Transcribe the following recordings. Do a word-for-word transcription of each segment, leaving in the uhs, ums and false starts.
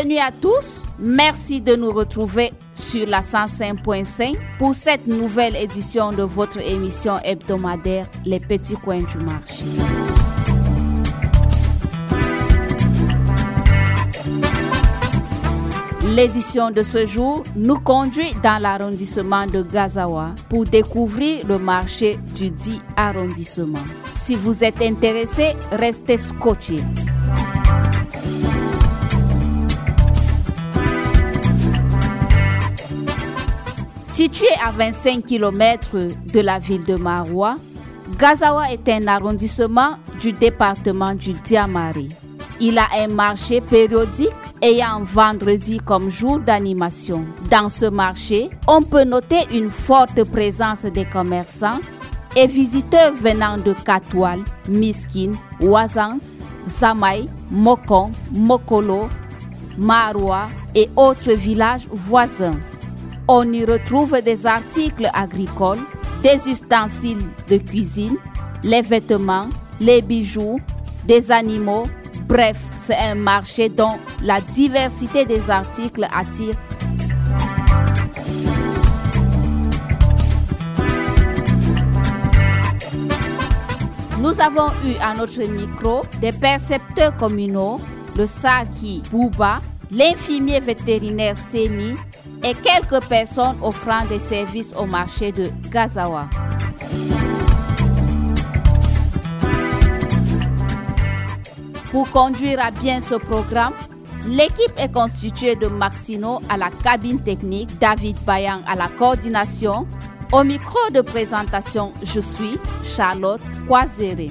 Bienvenue à tous. Merci de nous retrouver sur la cent cinq point cinq pour cette nouvelle édition de votre émission hebdomadaire Les Petits Coins du Marché. L'édition de ce jour nous conduit dans l'arrondissement de Gazawa pour découvrir le marché du dit arrondissement. Si vous êtes intéressé, restez scotchés. Situé à vingt-cinq kilomètres de la ville de Maroua, Gazawa est un arrondissement du département du Diamari. Il a un marché périodique ayant vendredi comme jour d'animation. Dans ce marché, on peut noter une forte présence des commerçants et visiteurs venant de Katoual, Miskine, Ouazan, Zamaï, Mokon, Mokolo, Maroua et autres villages voisins. On y retrouve des articles agricoles, des ustensiles de cuisine, les vêtements, les bijoux, des animaux. Bref, c'est un marché dont la diversité des articles attire. Nous avons eu à notre micro des percepteurs communaux, le Saki Bouba, l'infirmier vétérinaire Seni et quelques personnes offrant des services au marché de Gazawa. Pour conduire à bien ce programme, l'équipe est constituée de Maxino à la cabine technique, David Bayan à la coordination. Au micro de présentation, je suis Charlotte Kwazere.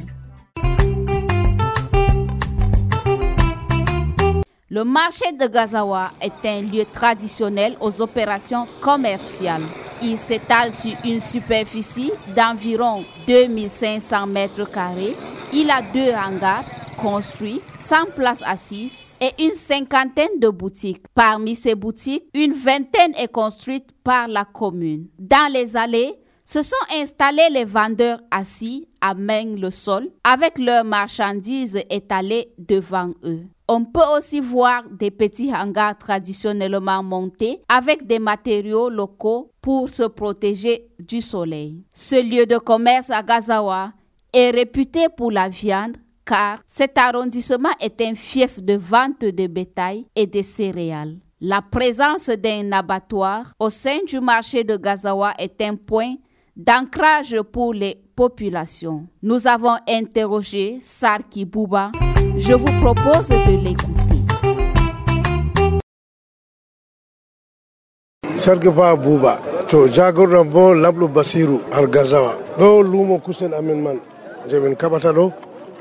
Le marché de Gazawa est un lieu traditionnel aux opérations commerciales. Il s'étale sur une superficie d'environ deux mille cinq cents mètres carrés. Il a deux hangars construits, cent places assises et une cinquantaine de boutiques. Parmi ces boutiques, une vingtaine est construite par la commune. Dans les allées, se sont installés les vendeurs assis à main le sol avec leurs marchandises étalées devant eux. On peut aussi voir des petits hangars traditionnellement montés avec des matériaux locaux pour se protéger du soleil. Ce lieu de commerce à Gazawa est réputé pour la viande car cet arrondissement est un fief de vente de bétail et de céréales. La présence d'un abattoir au sein du marché de Gazawa est un point d'ancrage pour les populations. Nous avons interrogé Sarki Bouba. Je vous propose de l'écouter. Sarki Bouba, to jagorɗo bo Lablu Basiru har Gazawa. Ɗo lumo kusel amin man je min kaɓata ɗo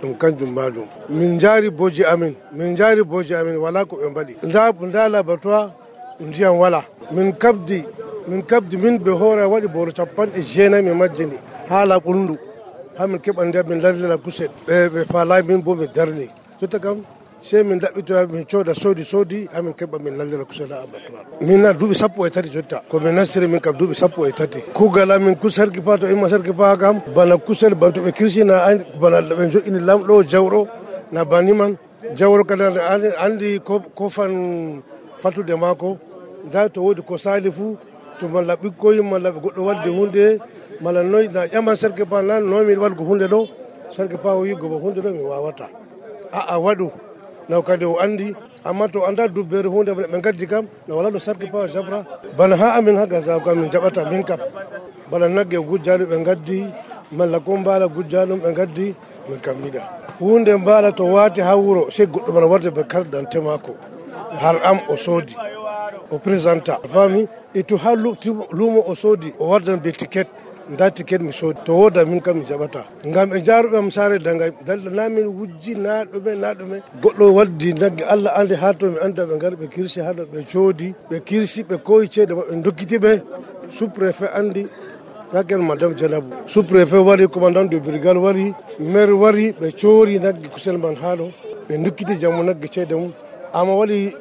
ɗum kanjum majum. Min jaari boji amin, min jaari boji amin wala ko ɓe mbaɗi. Nda nda laboratoire ndiyam wala. Min kabdi min kabdi min ɓe hoore waɗi boro capanɗe jeenayi mi majjini haala ɓurndu ha min keɓa ndiyam min lardira kusel ɓe ɓe faalayi min bo mi darni. Jotta kam sey min ɗaɓɓitoya min cooda soodi soodi ha min keɓa min lallira kusel ha abattoir. Min na duuɓi sappo e tati jotta ko min nastiri min kam duuɓi sappo e tati. Kuugal amin kus Sarki Pa to imma Sarki Pa kam bana kusel ban to ɓe kirsina bana ɓe joƴini lamɗo jawɗo na bani man jawɗo kadi andi ko fan fatude maako nda to woodi ko saali fuu to malla ɓikkoyi malla ɓe goɗɗo wadde hunde malla noy na ƴaman Sarki Pa nan nomi waɗgo hunde ɗo Sarki Pa o wi gobo hunde ɗo mi wawata aa waɗu naw kadi o andi amma to anda dubbere hunde ɓe gaddi kam no wala ɗo Sarki Pa jabra bana ha amin ha Gazawa kam min jaɓata min kam bana nagge gujjaɗo ɓe gaddi malla ko mbala gujjaɗum ɓe gaddi min kam yiɗa hunde mbala to wati ha wuro sey goɗɗo mana warde ɓe kardante mako har am o soodi o présenta fami e to ha lumo o soodi o wardan be ticket nda ticket mi soodi to woda min kam mi jaɓata ngam e jaaruɓe am saare dangay dalɗo na min wujji na ɗume na ɗume goɗɗo waddi nagge Allah andi ha to mi anda ɓe ngari ɓe kirsi haɗo ɓe coodi ɓe kirsi ɓe koyi ceede maɓɓe dokkitiɓe sous préfet andi hakken madame Janabou sous préfet wari commandant de brigade wari maire wari ɓe coori nagge kusel man haɗo ɓe dokkiti jammo nagge ceede mum ama waɗi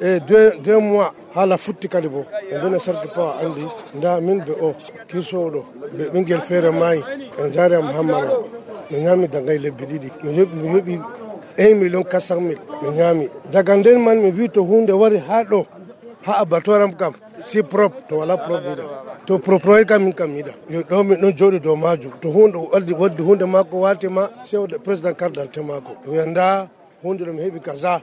e deux deux mois haala futti kadi bo e ndene Sarki Pa andi nda min ɓe o kirsowo ɗo ɓe ɓinguel feere maayi ɓe jaari am hammaro mi ñaami dangay lebbi ɗiɗi mi yoɓi mi yoɓi un million quatre cent mille mi ñaami. Daga nden man mi wi to hunde wari haa ɗo haa abattoir am kam si propre to wala propre yiɗa to propre kam min kam yiɗa yo ɗo min ɗon jooɗi dow majum to hunde waddi waddi hunde makko watima sewde président cardante makko wiyanda hunde ɗo mi heeɓi kaza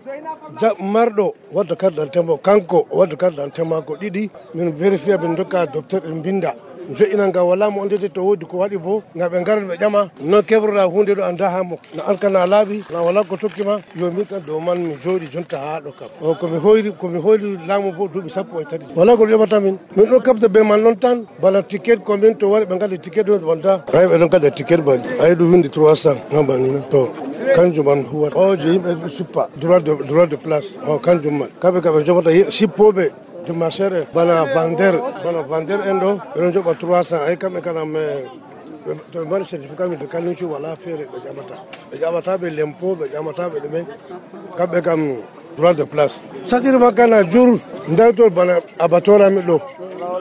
jab marɗo wadda cardante makko kanko wadda cardante makko ɗiɗi min vérifier min dokka docteur en binda jo'ina nga wala mo ondete to wodi ko waɗi bo nga ɓe garat ɓe ƴama no keɓroɗa hunde ɗo anda ha mo na an kana laaɓi na wala ko tokkima yo min kam dow man mi jooɗi jonta ha ɗo kam o komi hoyri komi hoyri laamu bo duuɓi sappo e tati wala ko ƴoɓata min min ɗo kabda be man noon tan bana ticket combien to wari ɓe gadda ticket ɗo wonta ay ɓe ɗon gadda ticket bali ay ɗum windi trois cent ha banina to kanjum man huwata o je yimɓe suppa droit de droit de place o kanjum man kamɓe kam ɓe joɓata sippoɓe de marché en bana vendeur bana vendeur en ɗo ɓeɗon joɓa trois cent ay kamɓe kana me to ɓe mbaɗi certificat mi de kalincu wala feere ɓe ƴamata ɓe ƴamata ɓe lempo ɓe ƴamata ɓe ɗumen kamɓe kam droit de place saɗiri makkana jour ndawtol bana abattoir ami ɗo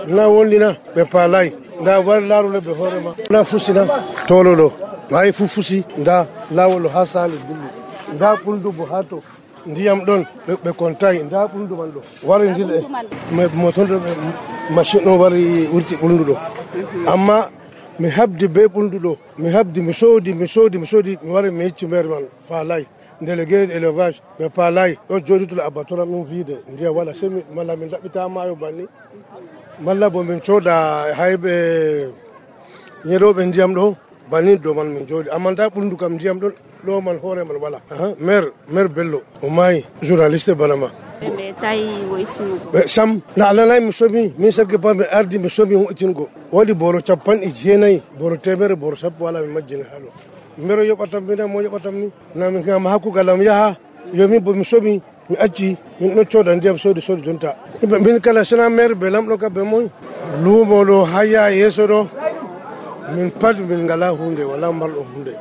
na wondina ɓe paalay nda wari laarule ɓe hoorema na fusina tolo ɗo hay fu fusi nda lawol ha sali dilli nda ɓuldu bo ha to ndiyam ɗon ɓe kontayi nda ɓuldu man ɗo wari ndile motonɗo machine o wari wurti ɓuldu ɗo amma mi habdi be ɓuldu ɗo mi habdi mi soodi mi soodi mi soodi mi wari mi hecci maire man faalay délégué élevage ɓe paalay ɗo jooɗi to abattoir min wiide ndiyam waɗa semi malla min ɗaɓɓita maayo banni malla bo min cooda hayɓe ñeɗoɓe ndiyam ɗo banni dow man min jooɗi amma nda ɓuldu kam ndiyam ɗon ɗo man hoore man wala maire maire bello o maayi journaliste bana ma ɓe tawi woytinugo ɓe sam na alanay mi somi min sagge ba mi ardi mi somi woytinugo waɗi boro capanɗe jeenayyi boro temere boro sappo wala mi majjini haɗo mbero yoɓatam mina mo yoɓatam ni na mi gama hakkugal am yaha yomin bo mi somi mi acci min ɗon cooda ndiyam soodi soodi jonta min kala sena maire ɓe lamɗo kam ɓe moy luumo ɗo haya yeeso ɗo min pat min ngala hunde wala mbalɗo hunde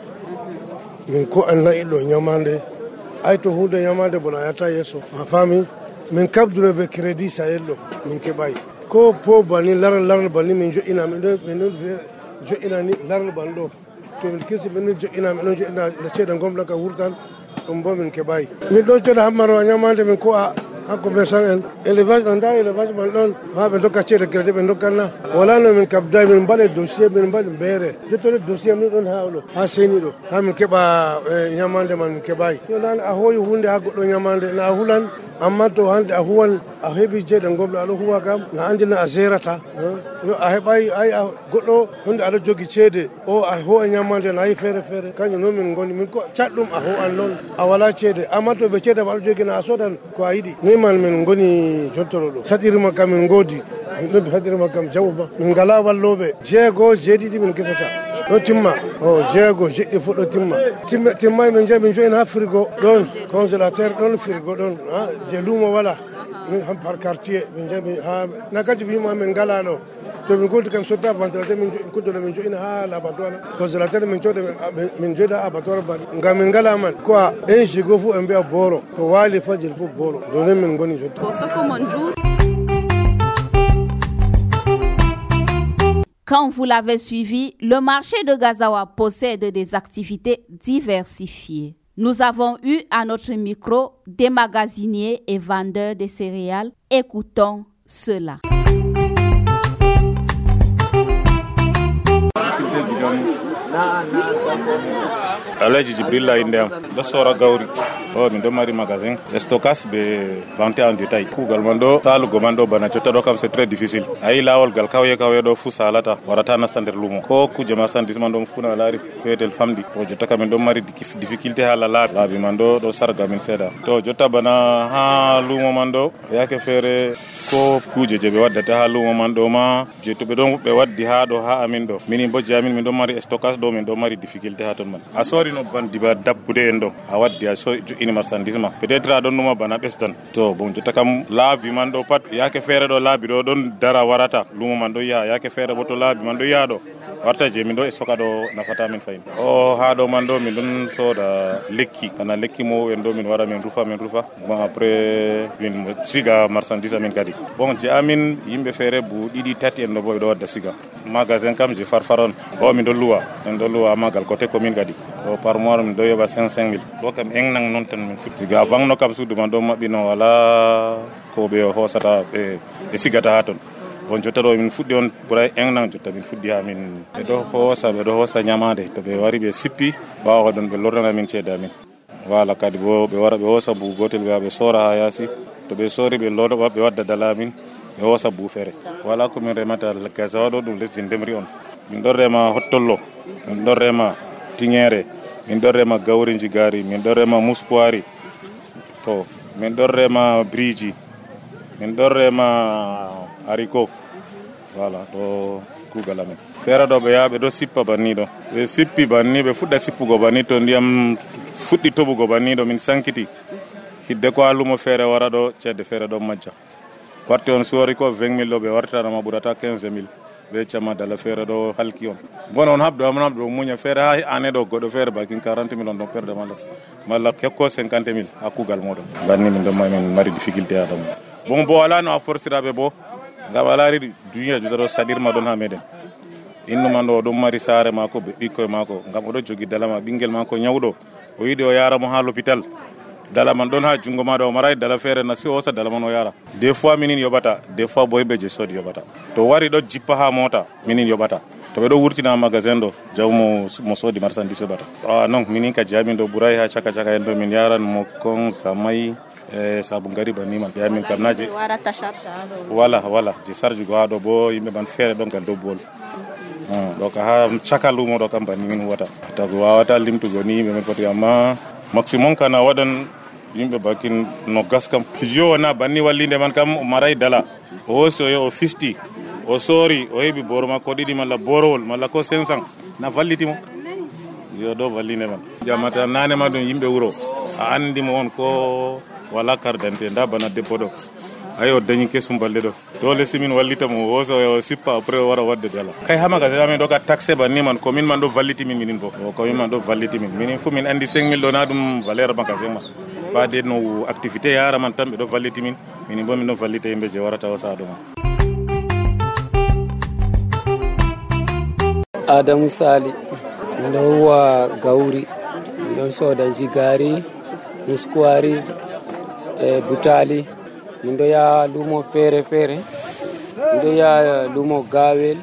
min ko an nayi ɗo ñamande ay to hunde ñamande bona yata yeeso a faami min kabduno ɓe crédit sayel ɗo min keɓayi ko po bani laral laral bani min joƴina min ɗo min ɗon joƴina ni laral ban ɗo to min kirsi min ɗon joƴina min ɗon joƴina nde ceeɗe gomɗa ka wurtan ɗum bo min keɓayi min ɗo ceeɗa hammaro a ñamande min ko a ha commerçant en élevage ɗo nda élevage man ɗon ha ɓe dokka ceeɗe crédit ɓe dokkanna wala no min kabda min mbaɗe dossier min mbaɗi mbeere jottode dossier min ɗon ha ɗo ha seni ɗo ha min keeɓa ñamande man min keɓayi yo nane a hooyi hunde ha goɗɗo ñamande na a hulan amma to hande a huwan a heeɓi jeeɗe gomɗo aɗa huwa kam na andina a gérata yo a heɓayi ay a goɗɗo hunde aɗa jogui ceede o a ho e ñamande na yi feere feere kañum noon min goni min ko catɗum a ho an noon a wala ceede amma to ɓe ceede ma aɗa jogui na a sodan ko a yiɗi ni man min goni jottoro ɗo saɗirima kam min goodi min ɗon saɗirima kam jawma min ngala walloɓe jeego jeeɗiɗi min guesata ɗo timma o jeego jeɗɗi fof ɗo timma timma timmay min jeeyi min joyina ha frigo ɗon congélateur ɗon frigo ɗon je luumo wala min han par quartier min jeeyi ha na kadi wima min ngala ɗo to min golti kam sotta ventilateur min kuddoɗo min joyina ha l'abattoir congélateur min cooda min joyda ha abattoir baɗi ngam min ngala man ko a un gigo fof ɓe mbiya booro to waali fajiri fof booro ɗo nen min goni jotta. Quand vous l'avez suivi, le marché de Gazawa possède des activités diversifiées. Nous avons eu à notre micro des magasiniers et vendeurs de céréales. Écoutons cela. Alaji Jibrilla indem do sora gawri o min do mari magasin stockage be vente en détail kugal mando salu go mando bana jotta do kam c'est très difficile ay lawol gal kawye kawye do fu salata warata na standard lumo ko ku jama sandis mando funa lari petel famdi to jotta kam do mari difficulté hala la labi mando do sarga min seda to jotta bana ha lumo mando yake fere ko kuje je be waddata ha lumo mando ma je to be don be waddi ha do ha amin do minin bo jamin min do mari stockage do min do mari difficulté ha ton man asori no bandi ba dabbude en do a waddi a so ini marchandise ma peut-être a don numa bana bestan to bon jotta kam laabi man do pat yake fere do laabi do don dara warata lumo man do ya yake fere bo to laabi man do ya do warta je min ɗo e soka ɗo nafata min fayin o ha ɗo man ɗo min ɗon soda lekki kana lekki mo en ɗo min wara min rufa min rufa bon après min siga marchandise amin kadi bon je amin yimɓe feere bu ɗiɗi tati en ɗo bo ɓe ɗo wadda siga magasin kam je farfaron o min ɗo luwa min ɗo luwa magal côté commune kadi o par mois min ɗo yoɓa cinq cinq mille ɗo kam engnan noon tan min futti ga vangno kam suudu man ɗo maɓɓino wala ko ɓe hosata ɓe ɓe sigata ha toon bon jotta ɗo min fuɗɗi on ɓuray engnan jotta min fuɗɗi ha min ɓe ɗo hoosa ɓe ɗo hoosa ñamade to ɓe wari ɓe sippi ɓawa ɗon ɓe lornana min ceede amin wala kadi bo ɓe wara ɓe hoosa buu gotel ɓe ɓe soora ha yaasi to ɓe soori ɓe loɗoɓa ɓe wadda dala amin ɓe hoosa buu feere wala komin remata gasawa ɗo ɗum lesdi ndemri on min ɗon rema hottollo min ɗon rema tiŋere min ɗon rema gawri jigari min ɗon rema muspoiri to min ɗon rema briji min ɗon rema haricot voilà ɗo kuugal amen feere ɗo ɓe yaha ɓe ɗo sippa banni ɗo ɓe sippi banni ɓe fuɗɗa sippugo banni to ndiyam fuɗɗi toɓugo banni ɗo min sankiti hidde ko ha lumo feere wara ɗo ceede feere ɗo majja warti on suwari ko vingt mille ɗo ɓe wartanama ɓurata quinze mille ɓe camma dala feere ɗo halki on bon on habdo on habdo muña feere ha ane ɗo goɗɗo feere bakin quarante mille on ɗon perde malla malla hekko cinquante mille ha kuugal moɗon banni min ɗon min mari difficulté ha ɗum bon bo wala no a forsiraɓe bo ngam a laari duniya juta ɗo saɗirma ɗon ha meɗen innu man ɗo oɗon mari saare mako ɓe ɓikkoye mako ngam oɗo jogi dalama ɓinguel mako ñawɗo o yiɗi o yaramo ha l'hôpital dala man ɗon ha jungo maɗo o maray dala feere na si o hosa dala man o yara des fois minin yoɓata des fois bo yimɓe je soodi yoɓata to wari ɗo jippa ha mota minin yoɓata to ɓe ɗo wurtina magasin ɗo jawmo mo soodi marchandise yoɓata a non minin ka jamin ɗo ɓuray ha caka caka en ɗo min yaran mo kon samay e sabu ngari banni man yamin kam naje wala wala je sarju go ha ɗo bo yimɓe man feere ɗon gal dow bool ɗo ka ha caka lumo ɗo kam banni min huwata tago wawata limtugo ni yimɓe men foti amma maximum kana waɗan yimɓe bakin no gas kam yo wona banni wallinde man kam o maray dala o hoosi o yo o fisti o soori o heɓi boro makko ɗiɗi malla borowol malla ko cinq cent na vallitimo yo ɗo vallinde man jamata nane ma ɗum yimɓe wuro a andimo on ko wala cardante nda bana debbo ɗo ayi o dañi kesum balɗe ɗo dole simin wallita mo o hoosa o sippa après o wara wadde dala kay ha magasin amen ɗo ka taxe banni man commune man ɗo valliti min minin bo o commune man ɗo valliti min minin fo min andi cinq mille ɗo na ɗum valeur magasin ma ɓade no activité yara man tan ɓe ɗo valliti min minin bo min ɗo vallita yimɓe je warata o saha ɗo ma Adamu Sali ndo huwa Gauri ndo soda jigari muskwari e butali ndo ya lumo fere fere ndo ya lumo gawel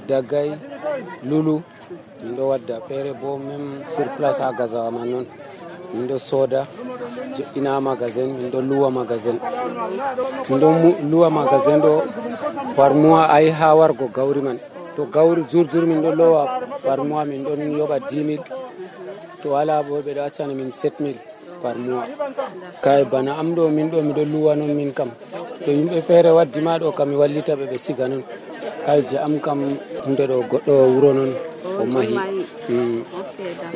dagay lulu ndo wadda fere bo même sur place a gazawa man non ndo soda ina magasin ndo luwa magasin ndo luwa magasin do par mois ay ha wargo Gauri man to Gauri jour jour min do lowa par mois min don yoba dix mille to wala bo be da accana min sept mille par mois kay bana am do min do mi do luwa non min kam to yimbe feere waddi ma do kam mi wallita be be siga non kay je am kam hunde do goddo wuro non o mahi mm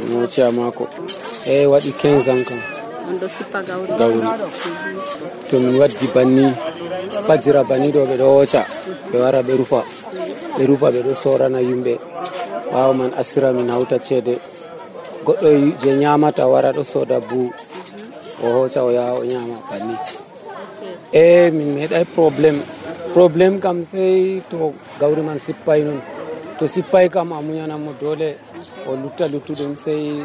mo ciama ko e wadi quinze ans kam ndo sipa Gauri Gauri to min waddi banni fajira banni do be do wocha be wara be rufa be rufa be do sorana yimbe bawo man asira min hauta cede goddo je nyamata wara do soda bu o hocha o ya o nyama banni e min meday problem problem kam sei to Gauri man sippai non to sippai kam amunyana mo dole o lutta luttudum sei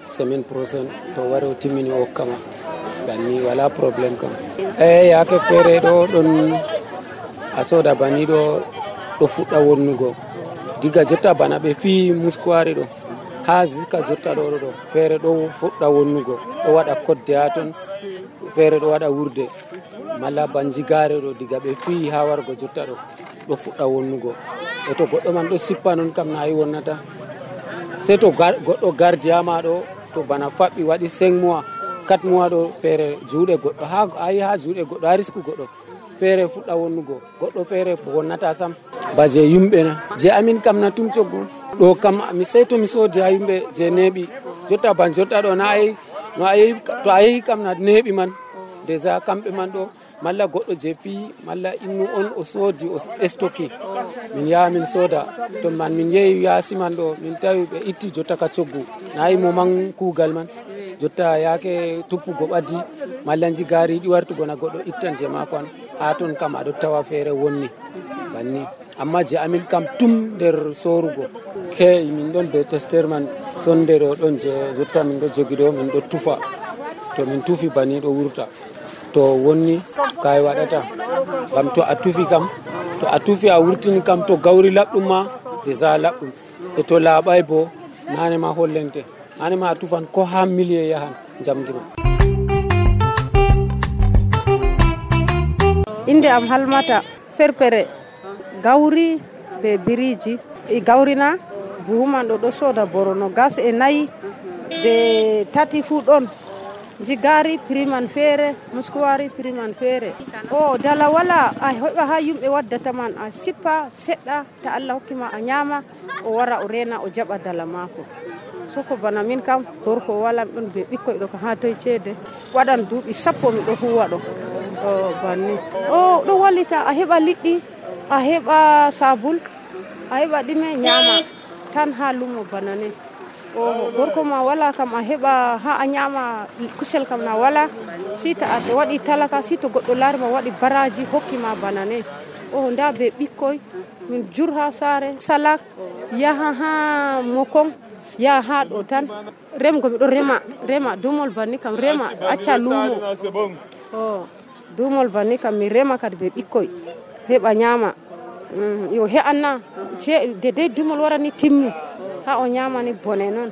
semaine prochaine to wari o timmini o kama banni wala problem kam e yake fere do don asoda banni do do fudda wonnugo diga jotta bana be fi muskwari do ha zika jotta do do fere do fudda wonnugo o wada kodde aton fere do wada wurde mala banjigare do diga be fi ha wargo jotta do do fudda wonnugo e to goddo man do sippa non kam na yi wonnata se to goddo gardia ma do to bana fabbi wadi cinq mois quatre mois do fere juude goddo ha ayi ha juude goddo ha risku goddo fere fudda wonnugo goddo fere wonnata sam baje yumbe na je amin kam na tum coggo do kam mi sey to mi sodi ha yumbe je nebi jotta ban jotta do na ay no ay to ay kam na nebi man deja kambe man do malla goɗɗo je fi malla innu on o soodi o stocké min yaha min sooda to man min yehi yaasi man ɗo min tawi ɓe itti jotta ka coggu nayi mo man kuugal man jotta yaake tuppugo ɓaddi malla jigari ɗi wartugo na goɗɗo ittan je maako an ha toon kam aɗo tawa feere wonni banni amma je amin kam tum nder sorugo ke min ɗon be testeur man sondere o ɗon je jotta min ɗo jogi ɗo min ɗo tufa to min tufi banni ɗo wurta to wonni kay waɗata kam to a tufi kam to a tufi a wurtini kam to gawri laɓɗum ma déjà laɓɗum e to laaɓay bo nane ma hollente nane ma a tufan ko ha millier yahan jamdi ma. Inde am Halmata Perpere gawri be biriji e gawrina buhuman ɗo ɗo soda borono gas e nayi be tati fu ɗon jigari priman feere muskuwari priman feere o dala wala a heɓa ha yimɓe waddata man a sippa seɗɗa ta Allah hokkima a ñama o wara o rena o jaɓa dala maako soko bana min kam gorko wala ɗon be ɓikkoy ɗo ko ha toye ceede waɗan duuɓi sappo mi ɗo huwa ɗo o banni o ɗo wallita a heɓa liɗɗi a heɓa sabul a heɓa ɗime ñama tan ha lumo bana ni o gorko ma wala kam a heɓa ha a ñama kusel kam na wala si ta a waɗi talaka si to goɗɗo laari ma waɗi baraji hokkima bana ne o nda be ɓikkoy min jur ha saare salak yaha ha mokon yaha ha ɗo tan remgo miɗo rema rema dumol banni kam rema acca lumo o dumol banni kam mi rema kadi be ɓikkoy heɓa ñama mm, yo he'anna de de dumol warani timmi ha o ñamani bone noon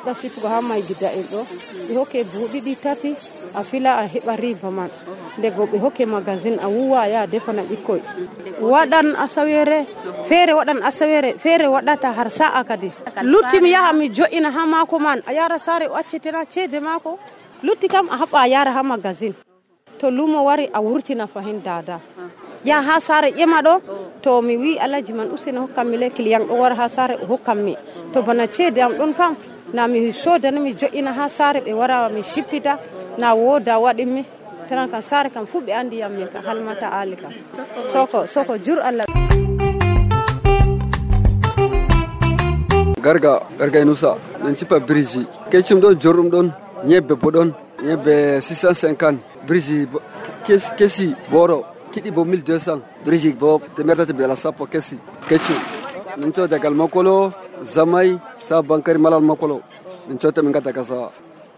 ɗa sippugo ha may gidda en ɗo ɓe hokke buhu ɗiɗi tati a fila a heɓa riba man ndego ɓe hokke magazine a wuwa ya defana ɓikkoy waɗan asawere feere waɗan asawere feere waɗata har sa'a kadi lutti mi yaha mi jo'ina ha maako man a yara saare o accetena ceede maako lutti kam a haɓa a yara ha magazine to lumo wari a wurtina fahin dada ya ha saare ƴema ɗo to mi wi alaji man useni hokkam mi le client ɗo wara ha saare o hokkam mi to bana ceede am ɗon kam na mi sodani mi jo'ina ha saare ɓe wara mi sippita na woda waɗinmi tanan kam saare kam fu ɓe andi yam min ka Halmata Ali kam soko soko jur Allah garga garga inusa min sippa biriji keccum ɗon jorɗum ɗon ñebbe bo ɗon ñebbe six cent cinquante biriji kesi boro kiɗi bo mille deux cents biriji bo temere tati bela sappo kesi keccum min codagal makolo zamay sa bankari malal makolo min cota min gadda gasa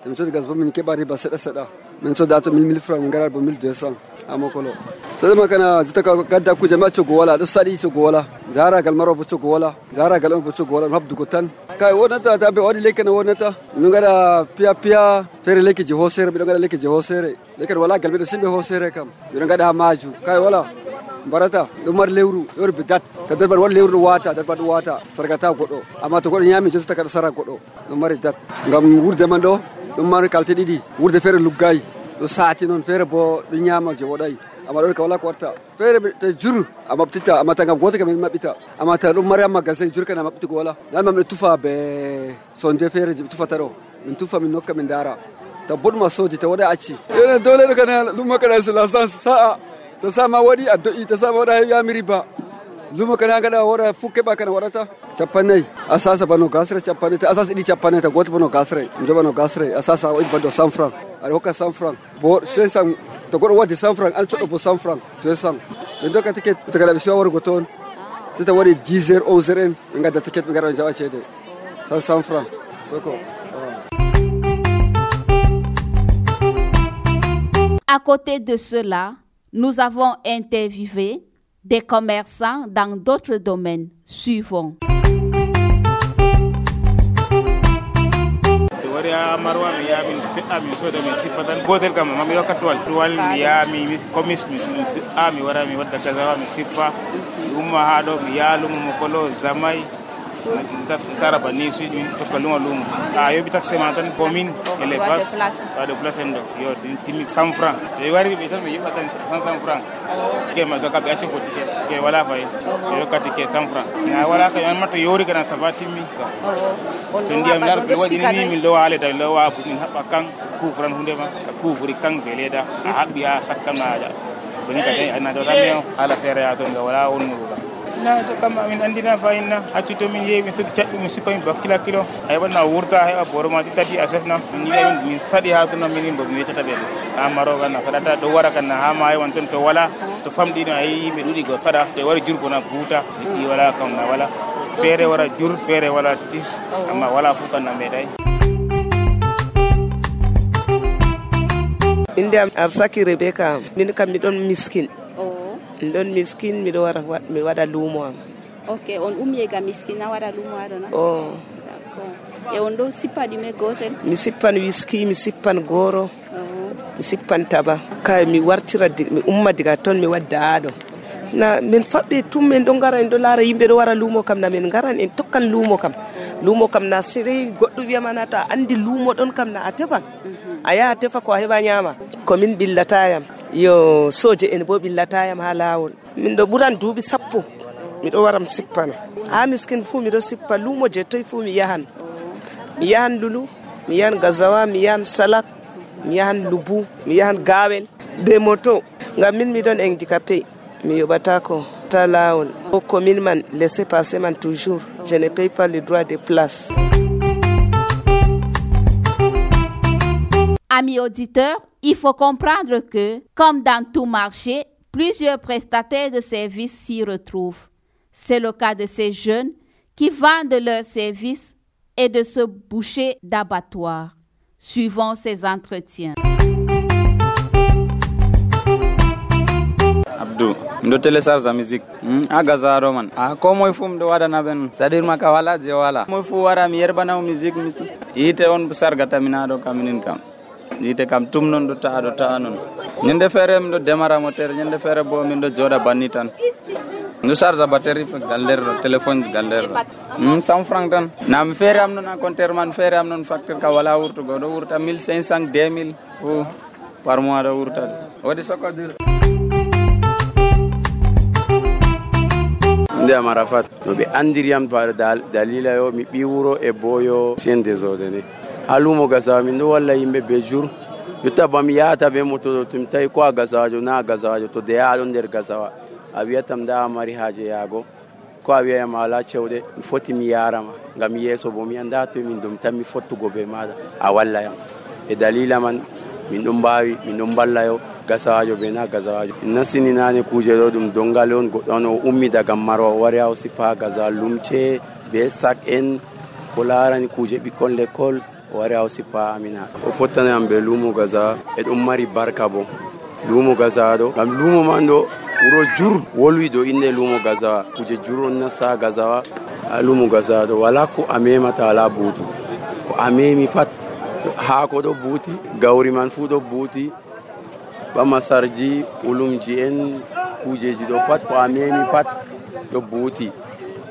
min cota gas bo min keɓa riba seɗa seɗa min coda to mille mille francs min garat bo mille deux cents ha makolo sadama kana juta ka gadda kuje ma cogo wala ɗo saɗi cogo wala jaragal maro bo cogo wala jaragal on bo cogo wala habdugo tan kay wonata tabe waɗi lekki no wonata min gaɗa piya piya feere lekki je hosere miɗo gaɗa lekki je hosere lekki wala gal miɗo simɓe hosere kam miɗo gaɗa ha maju kay wala barata ɗum mari lewru lewru be dat ta dat waɗi lewru ɗo wata dat ɗo wata sargata goɗɗo amma to goɗɗo ñami jotota kaɗa sara goɗɗo ɗum mari dat ngam wurde man ɗo ɗum mari kalte ɗiɗi wurde feere luggayi ɗo saati noon feere bo ɗo ñama je woɗayi amma ɗon ka wala ko watta feere te jur a maɓtita amma ta ngam goto kam min maɓɓita amma ta ɗum mari ha magasin jur kana maɓɓitugo wala nan ma miɗo tufa be sonde feere je ɓe tufata ɗo min tufa min nokka min dara ta boɗma soji ta waɗa acci ene dole ɗo kana ɗum makana sila sa'a to sama waɗi a do'i to sama waɗa yami riba lumo kana gaɗa waɗa fu keɓa kana waɗata capannayyi a sasa bano gasre capannayi ta a sasa ɗiɗi capannayyi ta goto bano gasre joɓano gasre a sasa waɗi bando cent franc aɗa hokka cent franc bo cinq cent to goɗɗo waddi cent franc an coɗɗo bo cent franc deux cent ɓe dokka ticket to kada ɓe siwa wargo toon si ta waɗi dix heures onze heures en ɓe gadda ticket ɓe gara ɓe jaɓa ceede cent cent franc soko. À côté de cela, nous avons interviewé des commerçants dans d'autres domaines suivants. marwa mi yaami fe'a mi soda mi sipatan gotel kam mami yokka tuwal tuwal mi yaami mi commis mi fe'a mi wara mi wadda kazawa mi sippa mi umma ha ɗo mi yaa lumo mo kolo zamay tara banni si mi tokka lumo lumo a yoɓi taxe ma tan komin e les bas waɗo place en ɗo yo timmi cent franc e wari ɓe tan mi yoɓa tan cent franc ke ma doka ɓe acci ko ticket ke wala fayi ɓe yokka ticket cent franc a wala ka an matto yori kana ça va timmi to ndiyam lar ɓe waɗini ni min lowa leyda min lowa min haɓɓa kan couvran hunde ma a couvri kan be leyda a haɓɓi ha sakkan na boni kadi ana do tamio ala fere ya ton ga wala on nuga na to kam min andina fayinna acci to min yewi so caddi mi sipa min bakkila kilo ay wonna wurta hay boro ma tati asefna min yewi min sadi ha to no min bo mi tata be amaro ganna fadata do wara kan ha ma ay won ton to wala to famdi no ay be dudi go fada te wara jurgo na buta di wala kam na wala fere wara jur fere wala tis amma wala fu kan na medai inde am Arsaki Rebecca min kam mi don miskin oh mi don miskin mi do wara mi wada lumo am okay on ummi ga miskin na wada lumo adona oh d'accord e on do sipa di me gotel mi sippan whisky mi sippan goro mi sippan taba kay mi wartira mi umma diga ton mi wadda ado na min fabbe tum men do ngara en do lara yimbe do wara lumo kam na men ngaran en tokkan lumo kam lumo kam na sire goddo wi'a manata andi lumo don kam na atefa aya atefa ko heba nyama ko min billatayam yo soje en bo billatayam ha lawol min do buran duubi sappo mi do waram sippana ha miskin fu mi do sippa lumo je toy fu mi yahan mi yahan lulu mi yahan gazawa mi yahan salak mi yahan lubu mi yahan gawel be moto ngam min mi don handicapé mi yobata ko ta lawol o commune man laisser passer man toujours je ne paye pas le droit de place. Amis auditeurs, il faut comprendre que, comme dans tout marché, plusieurs prestataires de services s'y retrouvent. C'est le cas de ces jeunes qui vendent leurs services et de ce boucher d'abattoir. Suivons ces entretiens. Abdou, ndo télécharge la musique. A Gazaro man. A komo ifum do wada na ben. Sadir maka wala je wala. Mo fu wara mi yerba na musique mi. Ite on sargata minado kaminin kam. Ite kam tum non do ta do ta non. Nyende fere mi do démarra moteur, nyende fere bo mi do joda banitan. Ndo charge batterie fa galler téléphone galler. Hmm cent francs tan. Na mi fere am non na compteur man fere am non facture ka wala wurtu go do wurta mille cinq cents deux mille ou par mois do wurta. Wadi soko dir. Nde amarafat no be andiriam par dal dalila yo mi biwuro e boyo sen desordene alumo gaza mi no walla yimbe be jur yutta bam yaata be moto tum tay ko gazajo na gazajo to de yaado nder gazawa awiyatam da mari haje yago ko awiya mala cewde foti mi yarama ngam yeso bo mi anda to min dum tammi fottugo be mada a walla yam e dalila man min dum bawi min dum balla yo gasawajo be na gasawajo nasini nane kuje do dum dongal on godon o ummi daga maro wari aw sipa gaza lumce be sak en kolarani kuje bikon l'école wari aw sipa amina o fotana am be lumo gaza e dum mari barka bo lumo gaza do gam lumo mando wuro jur wolwi do inde lumo gaza kuje juro na sa gaza lumo gaza do wala ko amema ta la butu ko amemi pat ha ko do buti gawri man fu do buti ba masarji ulumji en kujeji do pat ko amemi pat do buti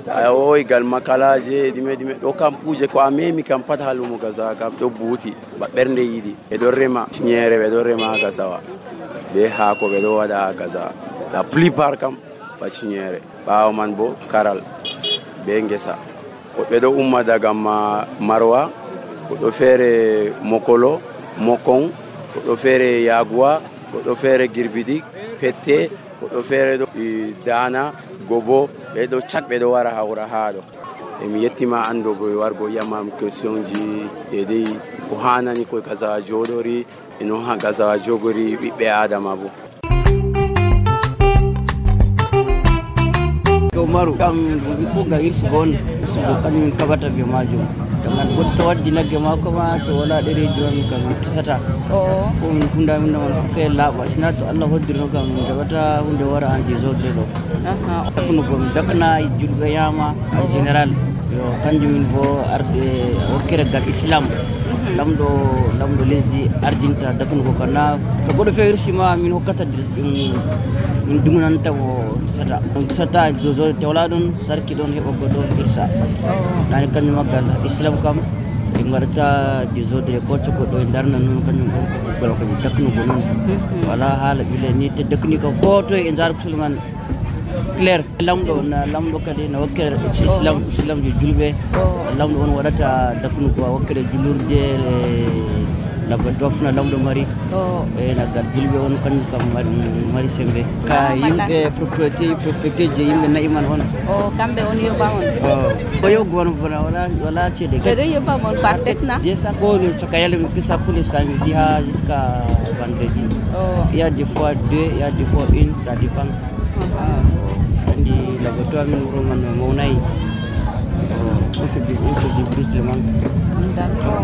ayo gal makalaje dime dime do kam kuje ko amemi kam pat halumo gaza kam do buti ba bernde yidi e do rema nyere be do rema gazawa be ha ko be do wada gaza la plupart kam ba nyere ba man bo karal be ngesa ko be do umma daga marwa ko do fere mokolo mokon ko do fere yagwa ko do fere girbidi pette ko do fere do dana gobo be do chak be do wara hawra haado e mi yettima ando go wargo yamam question ji e dei ko hanani ko kaza jodori eno ha kaza jogori bibbe adama bo ko maru kam ko ga irsi gon so kan min kabata be majum dengan goto waddi nagge mako ma to wala dere joni kam kisata o ko min funda min non ke laba sina to Allah hoddirno kam min dabata hunde wara andi zodde do aha ko ko dakna julbe yama en general yo kanjum min bo arde okere gal islam lamdo lamdo lesdi ardinta dakno ko kana to godo feirsi ma min hokkata min dumunanta ko sata on sata jozo tewla don sarki don hebo godo irsa nani kanjum magal islam kam e ngarta jozo de ko to godo darna non kanjum ko gol ko dakno ko non wala hala bile ni te dakni ko foto e ndar sulman clair lamdo na lamdo kadi na wakkere islam islam je julbe lamdo on wadata dakno ko wakkere julurde labba dofna lamɗo mari e naggal julɓe on kanjum kam mari sembe ka yimɓe propriété propriété je yimɓe nayi man on o kamɓe on yoɓa on o yoɓa on bona wala wala ceede ɓeɗo yoɓa on par tête na desa ko coka yale mi pisa pour les samedi ha jusqu'à vendredi il y a des fois deux il y a des fois une ça dépend andi labba to amin wuro man mawnayi on se débrouille seulement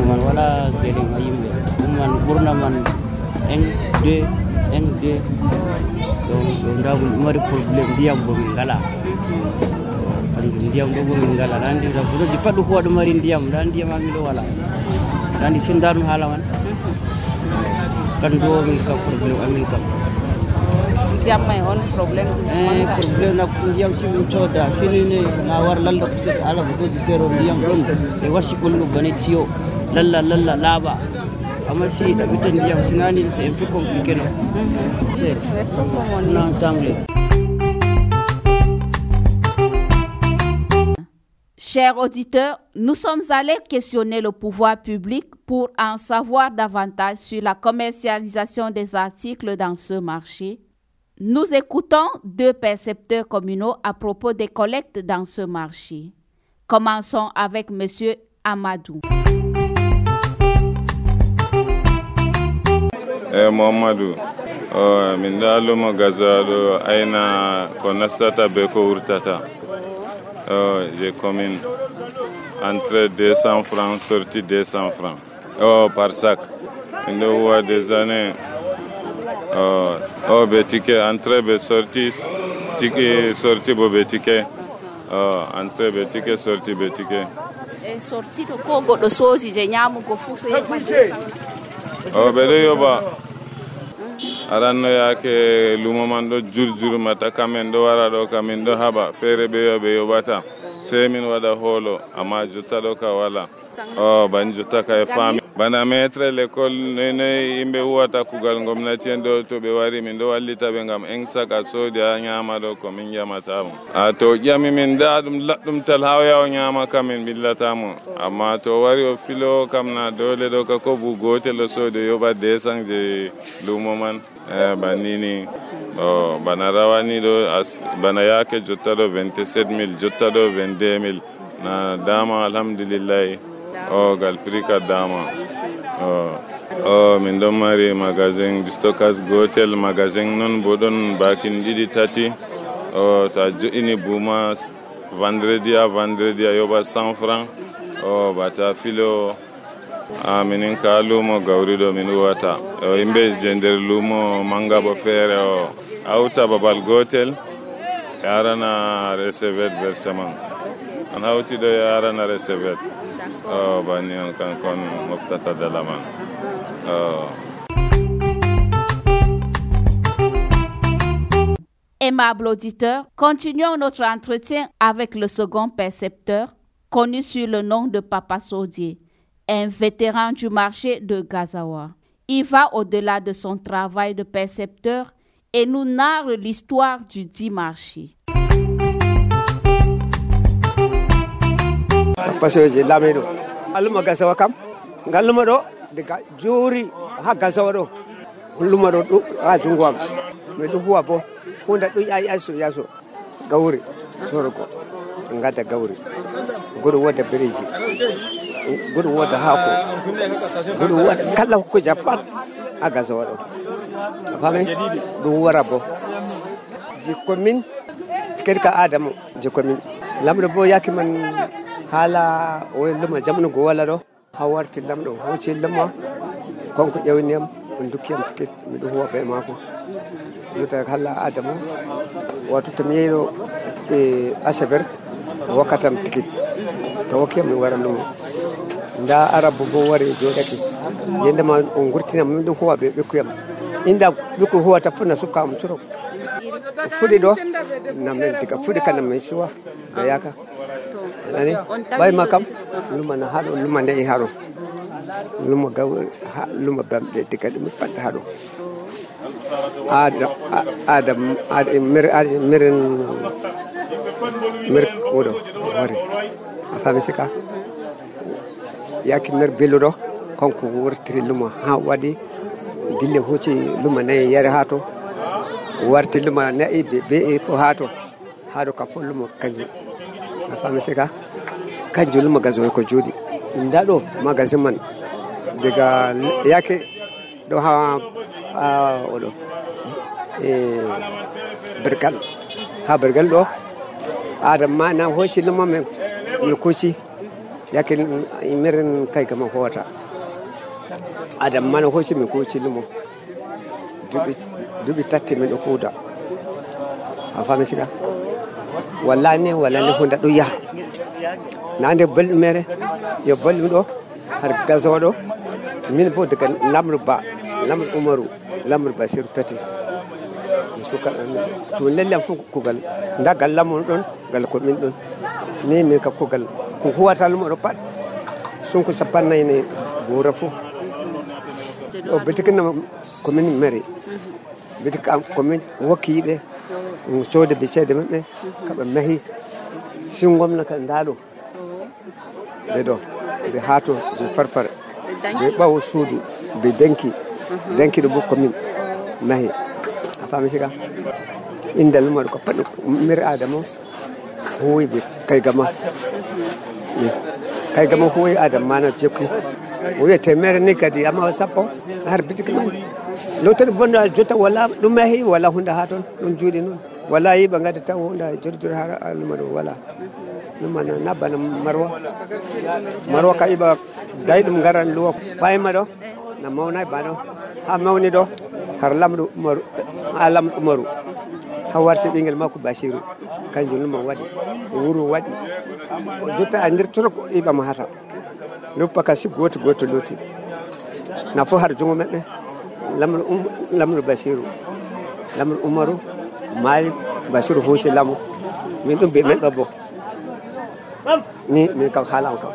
man wala gelen ha yimɓe ɗum man ɓurna man un deux un deux ɗo ndagol ɗum mari probléme ndiyam bo min ngala andu ndiyam ɗo bo min ngala andi labbuɗoji pat ɗum ko waɗo mari ndiyam nda ndiyam amin ɗo wala andi sindarnu haala man kandu o min kam probléme amin kam ndiyam may on probléme e probléme nak ndiyam si min cooda sinine na war lalla ko seeɗa ala bogoji feero ndiyam ɗon e wasi kollu bane siyo lalla lalla laaɓa amma si ɗaɓita ndiyam sinani c'est un peu compliqué non c'est on ensemble. Chers auditeurs, nous sommes allés questionner le pouvoir public pour en savoir davantage sur la commercialisation des articles dans ce marché. Nous écoutons deux percepteurs communaux à propos des collectes dans ce marché. Commençons avec M. Amadou. Eh, Mohamadou, oh, min dalumo gazado aina ko nasata be ko wurtata. Oh, j'ai commune entrée deux cents francs, sortie deux cents francs. Oh, par sac. Il y a des années. Oh, oh, be ticket, entrée, be sortie, ticket, sortie, be ticket. Oh, entrée, be ticket, sortie, be ticket. Et sortie de Congo de Sozi, j'ai nyamu go fousse. Oh, be de yoba. Aranno yake lumo man do jurjuru mata kamen do wara do kamen do haba fere be yobe yobata sai min wada holo amma jutta do ka wala oh ban jutta ka e fami bana maître l'école ne ne imbe huwata kugal gomnati en do to be wari min do wallita be ngam en saka sodi a nyama do ko min jamata mo a to jami min dadum laddum tal hawya o nyama kamen billata mo amma to wari o filo kamna dole do ka ko bu gotel o sodi yoba desan je lumo man eh banini oh bana rawani do as bana yake jotta do vingt-sept mille jotta do vingt-deux mille na dama alhamdulillah oh gal prika dama oh oh min do mari magasin de stockage gotel magasin non bodon bakin didi tati oh ta joini buma vendredi à vendredi ayoba cent francs oh bata filo a minin ka lumo gawrido min wata o imbe jender lumo manga bo fere o auta babal gotel yarana recevet versement an hawti do yarana recevet o bani on kan kon moftata dalaman o. Aimables auditeurs, continuons notre entretien avec le second percepteur, connu sous le nom de Papa Sodier, un vétéran du marché de Gazawa. Il va au-delà de son travail de percepteur et nous narre l'histoire du dit marché. Papa Sodier Lamido. Aluma Gazawa kam, ngaluma do daga juri ha Gazawa do. Luma do ha jungwam. Me do huwa bo kunda do yayi aso yaso gawri soroko ngata gawri godo wada bereji godo wada hako godo wada kala ko japan aga zawado afame do warabo ji commune kedka adamu ji commune lamdo bo yakiman hala o luma jamnu go wala do hawarti lamdo hoci lamma konko ƴewniyam on dukkiyam ticket mi do huwa be mako yuta hala adamu wato tamiyero e asaber wakatam ticket to wakiyam mi wara lumo nda arabu bo wari jodake yenda ma on gurtina mi do huwa be bekuyam inda biko huwa tafuna suka am turo fudi do namen tika fudi kana me siwa da yaka ani bay makam luma na hado luma ne haro luma gaw luma bamde tika dum pat hado adam adam adam mir miren mir odo wari afami sika yaki mir beludo konko wurtiri lumo ha waɗi dille huuci luma nayi yare ha to warti luma nayi be be fo ha to ha do ka fo lumo kanjum a fami sika kanjum luma gazoy ko jodi ndaɗo magasin man daga yake ɗo ha oɗo e bergal ha bergal ɗo adam ma na hoci luma men mi kuci yake miren kay gama hota adam ma na hoci mi kuci lumo dubi dubi tatti min ɗo kuuda a fami siga wallahi ne wala ne hunda ɗo yaha nande belɗum mere yo belɗum ɗo har gasoɗo min bo daga lamru ba lamru umaru lamru basiru tati suka to lellam fu kugal ndagal lamu ɗon gal ko min ɗon ni min ka kugal ko huwata lumo ɗo pat sunko sapannay ne gora fu o bitikina ko min mari bitika ko min wakkiɓe soode be ceede maɓɓe kaɓe mahi singomna ka ndaɗo ɓe ɗo ɓe haato je farfare ɓe ɓawo suudu ɓe denki denki ɗo bo commune mahi a faami siga inde lumaɗo ko pat miri adama huwoy ɓe kaygama kaygama huwoy adama mana jokki o wiye temere ni kadi amma sappo har bitiki man lottoɗe bonno jotta wala ɗum mahi wala hunde ha toon ɗum juuɗe noon wala yiɓa gadda taw hunde jodidore ha luma ɗo wala ɗum ana nabbana marwa marwa ka yiɓa dayi ɗum garan luwa payma ɗo na mawna ba ɗo ha mawni ɗo har lamɗo umaru ha lamɗo umaru ha warti ɓinguel makko basiru kanjum luma waɗi wuro waɗi jotta a nder toroko yiɓama hata luppa kasi goto goto loti na fo har jungo maɓɓe lamɗo lamɗo basiru lamɗo umaru maayi basiru huuci lamu min ɗum ɓe meɗɗo bo ni min kam haalam kam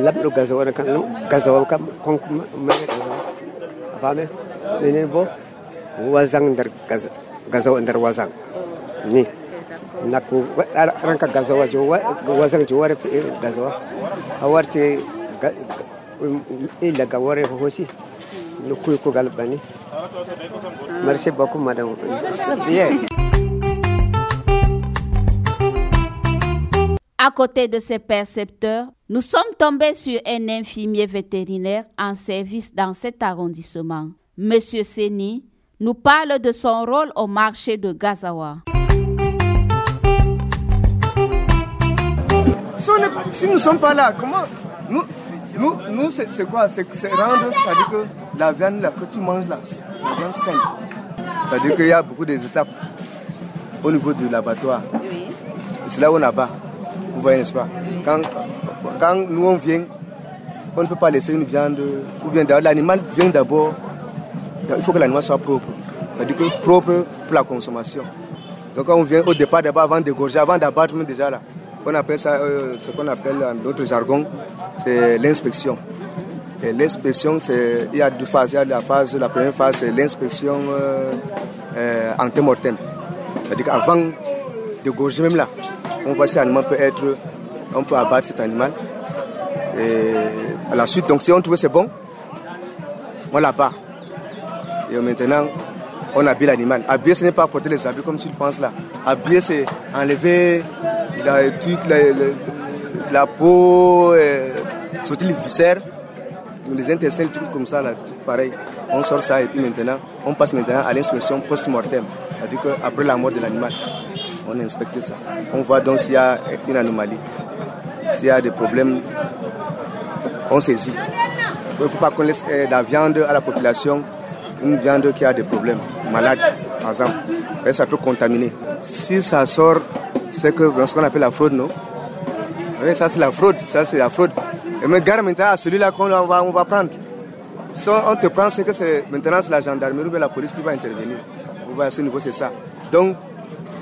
lamɗo gazawo kam gazawo kam konko maɗe a faame minen bo wasan nder gazawo nder wasan ni nakko ranka gazawa jo wasan jo ware gazawa a warti illa ga ware ko hoci no kuy ko gal bani merci beaucoup madame c'est bien. À côté de ces percepteurs, nous sommes tombés sur un infirmier vétérinaire en service dans cet arrondissement. Monsieur Seni nous parle de son rôle au marché de Gazawa. Si nous ne sommes pas là, comment nous, nous, nous c'est, c'est quoi? C'est, c'est rendre, c'est-à-dire que la viande là, que tu manges là, la viande saine. C'est-à-dire qu'il y a beaucoup d'étapes au niveau de l'abattoir. Oui. C'est là où on abat. Vous voyez, n'est-ce pas? Quand, quand nous on vient, on ne peut pas laisser une viande, ou bien l'animal vient d'abord, il faut que l'animal soit propre. C'est-à-dire que propre pour la consommation. Donc quand on vient au départ d'abord, avant d'égorger, avant d'abattre, même déjà là, on appelle ça, euh, ce qu'on appelle dans notre jargon, c'est l'inspection. Et l'inspection, c'est, il y a deux phases. Il y a la phase, la première phase, c'est l'inspection euh, euh, antemortem. C'est-à-dire qu'avant d'égorger même là, on voit si l'animal peut être, on peut abattre cet animal. Et à la suite, donc si on trouve que c'est bon, on l'abat. Et maintenant, on habille l'animal. Habiller, ce n'est pas porter les habits comme tu le penses là. Habiller, c'est enlever la, toute la, la, la peau, euh, sortir les viscères, les intestins, tout comme ça, là, tout pareil. On sort ça et puis maintenant, on passe maintenant à l'inspection post-mortem. C'est-à-dire qu'après la mort de l'animal, on inspecte ça. On voit donc s'il y a une anomalie, s'il y a des problèmes, on saisit. Il ne faut pas qu'on laisse la viande à la population, une viande qui a des problèmes, malade, par exemple. Et ça peut contaminer. Si ça sort, c'est que ce qu'on appelle la fraude, non? Oui, ça c'est la fraude, ça c'est la fraude. Et mais garde maintenant à celui-là qu'on va, on va prendre. Si on te prend, c'est que c'est, maintenant c'est la gendarmerie ou la police qui va intervenir. Vous voyez, à ce niveau, c'est ça. Donc,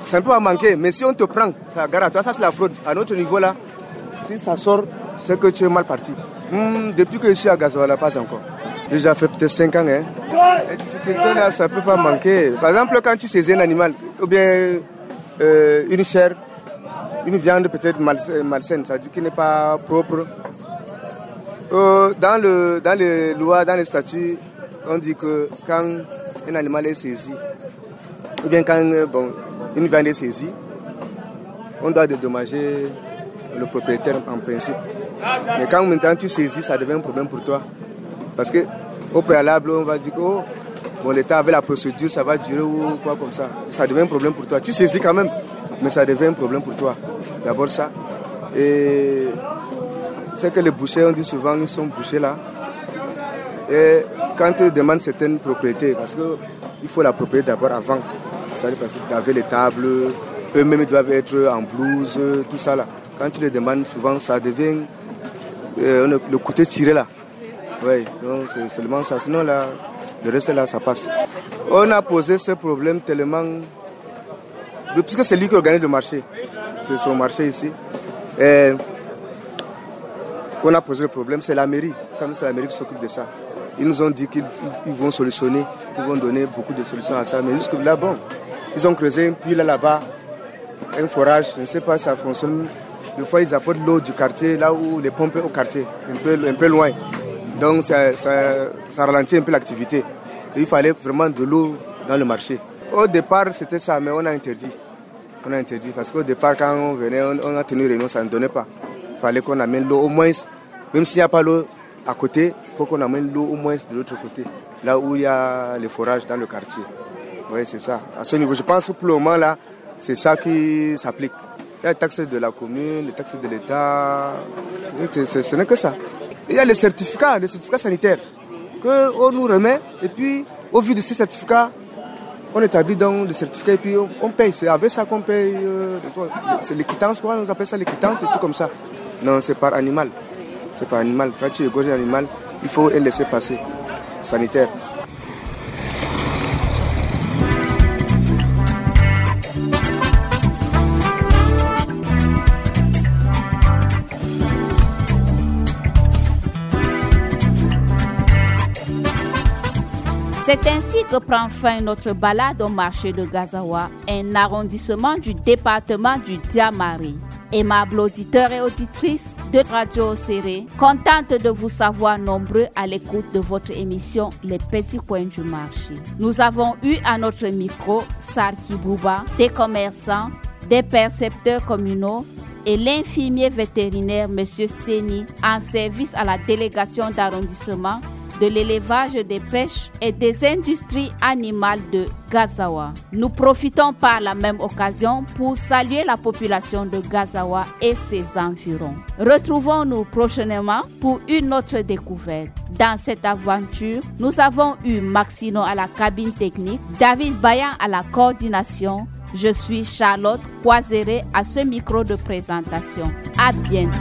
ça ne peut pas manquer, mais si on te prend, ça garde à toi, ça c'est la fraude. À notre niveau là, si ça sort, c'est que tu es mal parti. Mmh, depuis que je suis à Gazawa, pas encore. J'ai déjà fait peut-être cinq ans. Hein. Et là, ça ne peut pas manquer. Par exemple, quand tu saisis un animal, ou bien euh, une chair, une viande peut-être malsaine, ça veut dire qu'il n'est pas propre. euh, dans, le, dans les lois, dans les statuts, on dit que quand un animal est saisi, ou bien quand bon, une viande est saisie, on doit dédommager le propriétaire en principe. Mais quand maintenant tu saisis, ça devient un problème pour toi. Parce qu'au préalable, on va dire que oh, bon, l'État avait la procédure, ça va durer ou quoi comme ça. Ça devient un problème pour toi. Tu saisis quand même, mais ça devient un problème pour toi. D'abord ça. Et c'est que les bouchers, on dit souvent, ils sont bouchés là. Et quand ils demandent certaines propriétés, parce qu'il faut la propriété d'abord avant. C'est-à-dire parce qu'ils avaient les tables, eux-mêmes ils doivent être en blouse, tout ça là. Quand tu les demandes, souvent ça devient euh, le côté tiré là. Oui, donc c'est seulement ça. Sinon là, le reste là, ça passe. On a posé ce problème tellement... Puisque c'est lui qui organise le marché. C'est son marché ici. Et on a posé le problème, c'est la mairie. C'est la mairie qui s'occupe de ça. Ils nous ont dit qu'ils ils vont solutionner, ils vont donner beaucoup de solutions à ça. Mais jusque là, bon, ils ont creusé un puits là, là-bas, un forage, je ne sais pas si ça fonctionne. Des fois, ils apportent l'eau du quartier, là où les pompes au quartier, un peu, un peu loin. Donc, ça, ça, ça ralentit un peu l'activité. Et il fallait vraiment de l'eau dans le marché. Au départ, c'était ça, mais on a interdit. On a interdit parce qu'au départ, quand on venait, on, on a tenu réunion, ça ne donnait pas. Il fallait qu'on amène l'eau au moins, même s'il n'y a pas l'eau à côté, il faut qu'on amène l'eau au moins de l'autre côté, là où il y a les forages dans le quartier. Oui, c'est ça. À ce niveau, je pense que pour le moment, là, c'est ça qui s'applique. Il y a les taxes de la commune, les taxes de l'État, c'est, c'est, ce n'est que ça. Il y a les certificats, les certificats sanitaires qu'on nous remet, et puis au vu de ces certificats, on établit donc le certificat et puis on, on paye. C'est avec ça qu'on paye. Euh, c'est l'équitance, quoi, on appelle ça l'équitance et tout comme ça. Non, c'est par animal. C'est par animal. Quand tu égorges un animal, il faut un laisser passer sanitaire. C'est ainsi que prend fin notre balade au marché de Gazawa, un arrondissement du département du Diamari. Aimables auditeurs et auditrices de Radio Serré, contente de vous savoir nombreux à l'écoute de votre émission Les Petits Coins du Marché. Nous avons eu à notre micro Sarki Bouba, des commerçants, des percepteurs communaux et l'infirmier vétérinaire M. Seni en service à la délégation d'arrondissement de l'élevage, des pêches et des industries animales de Gazawa. Nous profitons par la même occasion pour saluer la population de Gazawa et ses environs. Retrouvons-nous prochainement pour une autre découverte. Dans cette aventure, nous avons eu Maxino à la cabine technique, David Bayan à la coordination. Je suis Charlotte Coiseré à ce micro de présentation. À bientôt.